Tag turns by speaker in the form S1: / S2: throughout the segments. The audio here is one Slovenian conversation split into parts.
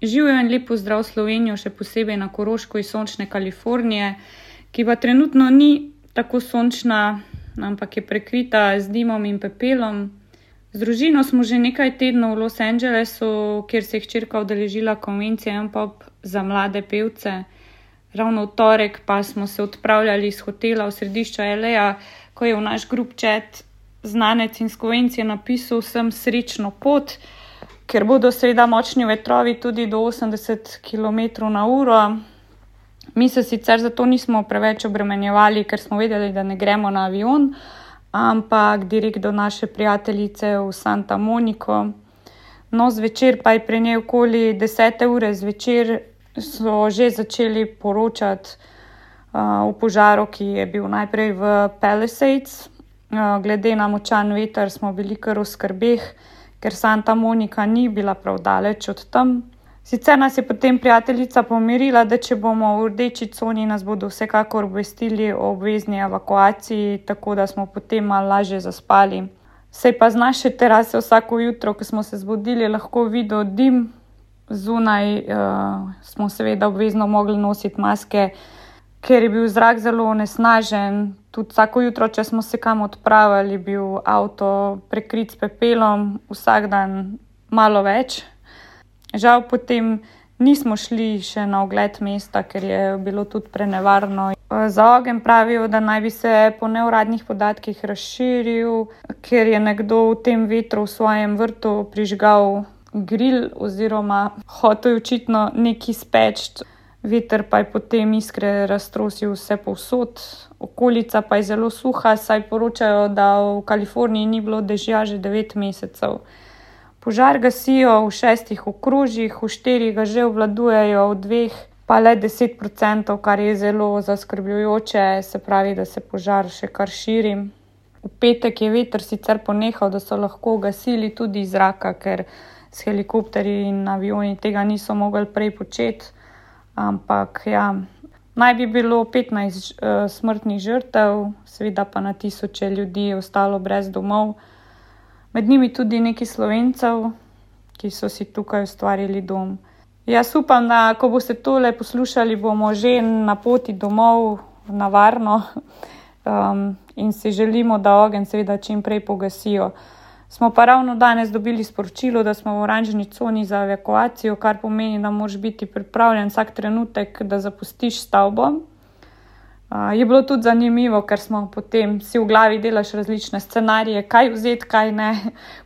S1: Živijo in lepo zdrav Slovenijo, še posebej na Koroško iz sončne Kalifornije, ki pa trenutno ni tako sončna, ampak je prekrita z dimom in pepelom. Z družino smo že nekaj tednov v Los Angelesu, kjer se je hčerka udeležila konvencije M-pop za mlade pevce. Ravno v torek pa smo se odpravljali iz hotela v središču LA, ko je v naš group chat znanec iz konvencije napisal vsem srečno pot, ker bodo seveda močni vetrovi tudi do 80 km/h. Mi se sicer zato nismo preveč obremenjevali, ker smo vedeli, da ne gremo na avion, ampak direkt do naše prijateljice v Santa Monico. No, zvečer pa je pri njej okoli 10. ure zvečer so že začeli poročati o požaru, ki je bil najprej v Palisades. Glede na močan veter smo bili kar v skrbeh, ker Santa Monica ni bila prav daleč od tam. Sicer nas je potem prijateljica pomirila, da če bomo v rdeči coni, nas bodo vsekakor obvestili o obvezni evakuaciji, tako da smo potem malo lažje zaspali. Sej pa z naše terase vsako jutro, ko smo se zbudili, lahko videl dim. Zunaj smo seveda obvezno mogli nositi maske, ker je bil zrak zelo onesnažen. Tudi vsako jutro, če smo se kam odpravili, je bil avto prekrit s pepelom, vsak dan malo več. Žal potem nismo šli še na ogled mesta, ker je bilo tudi prenevarno. Za ogenj pravijo, da naj bi se po neuradnih podatkih razširil, ker je nekdo v tem vetru v svojem vrtu prižgal grill oziroma hotel očitno nekaj speči. Veter pa je potem iskre raztrosil vse povsod. Okolica pa je zelo suha, saj poročajo, da v Kaliforniji ni bilo dežja že 9 mesecev. Požar gasijo v 6 okrožjih, v 4 ga že obvladujejo, v 2 pa le 10%, kar je zelo zaskrbljujoče, se pravi, da se požar še kar širi. V petek je veter sicer ponehal, da so lahko gasili tudi iz zraka, ker s helikopterji in avioni tega niso mogli prej početi. Ampak ja, naj bi bilo 15 smrtnih žrtev, seveda pa na tisoče ljudi je ostalo brez domov. Med njimi tudi nekaj Slovencev, ki so si tukaj ustvarili dom. Jaz upam, da ko boste tole poslušali, bomo že na poti domov na varno in si želimo, da ogenj seveda čim prej pogasijo. Smo pa ravno danes dobili sporočilo, da smo v oranžni coni za evakuacijo, kar pomeni, da moraš biti pripravljen vsak trenutek, da zapustiš stavbo. Je bilo tudi zanimivo, ker smo potem si v glavi delaš različne scenarije, kaj vzeti, kaj ne,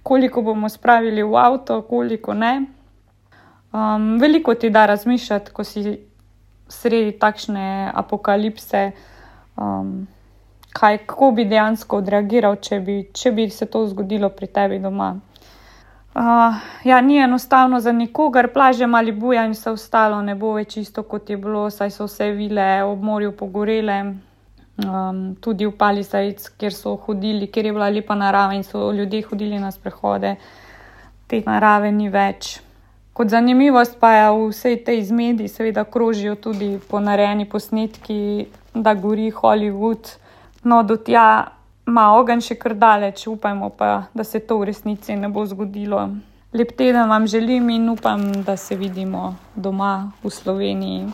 S1: koliko bomo spravili v avto, koliko ne. Veliko ti da razmišljati, ko si sredi takšne apokalipse, kako bi dejansko odreagiral, če bi se to zgodilo pri tebi doma. Ni enostavno za nikogar, plaže Malibuja in vse ostalo ne bo več isto, kot je bilo, saj so vse vile ob morju pogorele, tudi v Palisades, kjer so hodili, kjer je bila lepa narava in so ljudje hodili na sprehode, te narave ni več. Kot zanimivost pa je v vsej tej zmedi seveda krožijo tudi ponarejeni posnetki, da gori Hollywood. No, do tja ima ogenj še kar daleč, upajmo pa, da se to v resnici ne bo zgodilo. Lep teden vam želim in upam, da se vidimo doma v Sloveniji.